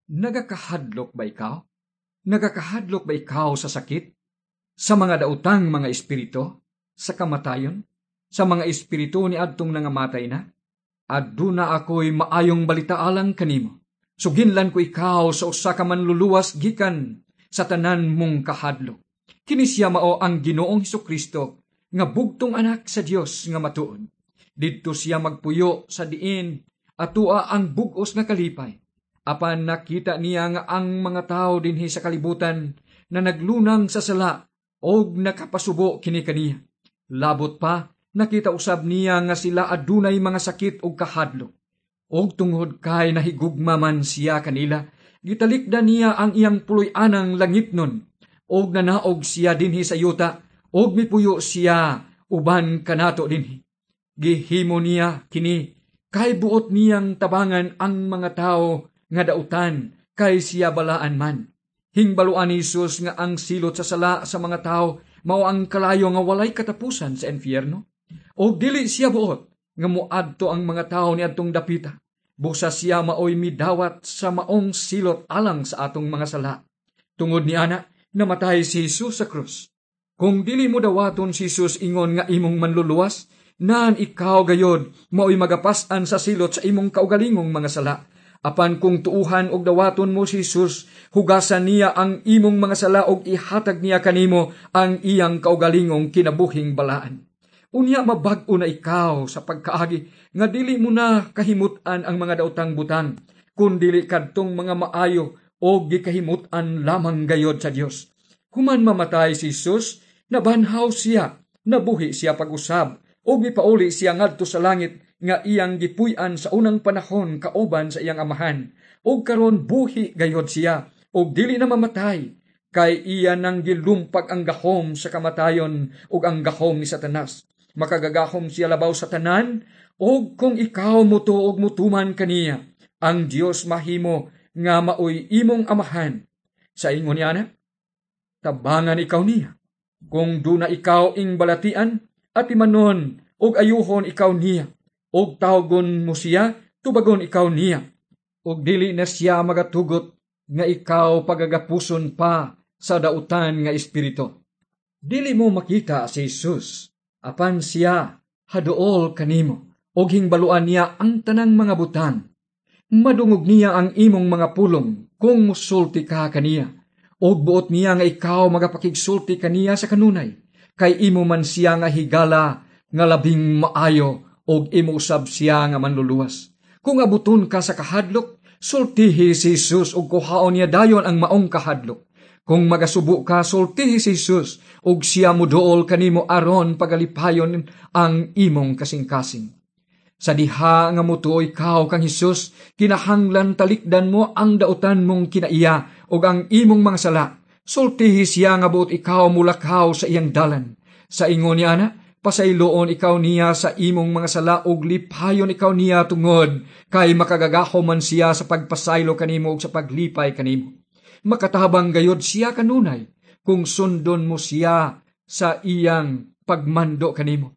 Nagakahadlok ba ikaw? Nagakahadlok ba ikaw sa sakit? Sa mga daotang mga espiritu? Sa kamatayon? Sa mga espiritu ni adtong nangamatay na? Aduna ako'y maayong balita alang kanimo. Suginlan ko ikaw sa usa ka manluluwas gikan sa tanan mong kahadlok. Kini siya mao ang Ginoong Hesukristo nga bugtong anak sa Dios nga matuod. Didto siya magpuyo sa diin atua ang bug-os nga kalipay. Apan nakita niya nga ang mga tawo dinhi sa kalibutan na naglunang sa sala og nakapasubo kini kaniya. Labot pa, nakita usab niya nga sila adunay mga sakit ug kahadlok. Og tungod kay nahigugma man siya kanila, gitalikdan niya ang iyang puloy-anang langitnon og nanaog siya dinhi sa yuta og mipuyo siya uban kanato dinhi. Gihimo niya kini kay buot niyang tabangan ang mga tawo nga dautan kay siya balaan man. Hingbaluan ni Jesus nga ang silot sa sala sa mga tawo mao ang kalayo nga walay katapusan sa impyerno. Og dili siya buot nga moadto ang mga tawo niadtong dapita. Busa siya maoy midawat sa maong silot alang sa atong mga sala. Tungod ni ana, namatay si Jesus sa krus. Kung dili mo dawaton si Jesus ingon nga imong manluluwas, naan ikaw gayod maoy magapas-an sa silot sa imong kaugalingong mga sala. Apan kung tuuhan og dawaton mo si Jesus, hugasan niya ang imong mga sala og ihatag niya kanimo ang iyang kaugalingong kinabuhing balaan. Unya mabag-o na ikaw sa pagkaagi nga dili mo na kahimut-an ang mga daotang butang, kun dili kadtong mga maayo o gikahimut-an lamang gayod sa Dios. Human mamatay si Jesus, nabanhaw siya, nabuhi siya pag-usab, ug mipauli siya ngadto sa langit nga iyang gipuy-an sa unang panahon kauban sa iyang Amahan. Ug karon buhi gayod siya, ug dili na mamatay, kay iya nang gilumpag ang gahom sa kamatayon ug ang gahom ni Satanas. Makagagahom siya labaw sa tanan, ug kung ikaw mutuo ug mutuman kaniya, ang Dios mahimo nga maoy imong Amahan. Sa ingon niya na, tabangan ikaw niya. Kung duna ikaw ing balatian, atimanon ug ayuhon ikaw niya. Ug tawgon mo siya, tubagon ikaw niya. Ug dili na siya magatugot nga ikaw pagagapuson pa sa dautan nga espiritu. Dili mo makita si Jesus, apan siya haduol kanimo, ug hingbaluan niya ang tanang mga butang. Madungog niya ang imong mga pulong kung musulti ka kaniya, ug buot niya nga ikaw magapakigsulti kaniya sa kanunay, kay imo man siya nga higala nga labing maayo ug imo usab siya nga manluluwas. Kung abuton ka sa kahadlok, sultihi si Jesus ug kuhaon niya dayon ang maong kahadlok. Kung magasubo ka, sultihi si Jesus ug siya muduol kanimo aron pagalipayon ang imong kasing-kasing. Sa diha nga mutuo ikaw kang Hesus, kinahanglan talikdan mo ang dautan mong kinaiya ug ang imong mga sala. Sultihi siya nga buot ikaw mulakaw sa iyang dalan. Sa ingon niya ana, pasayloon ikaw niya sa imong mga sala ug lipayon ikaw niya tungod kay makagagahom man siya sa pagpasaylo kanimo ug sa paglipay kanimo. Makatabang gayod siya kanunay kung sundon mo siya sa iyang pagmando kanimo.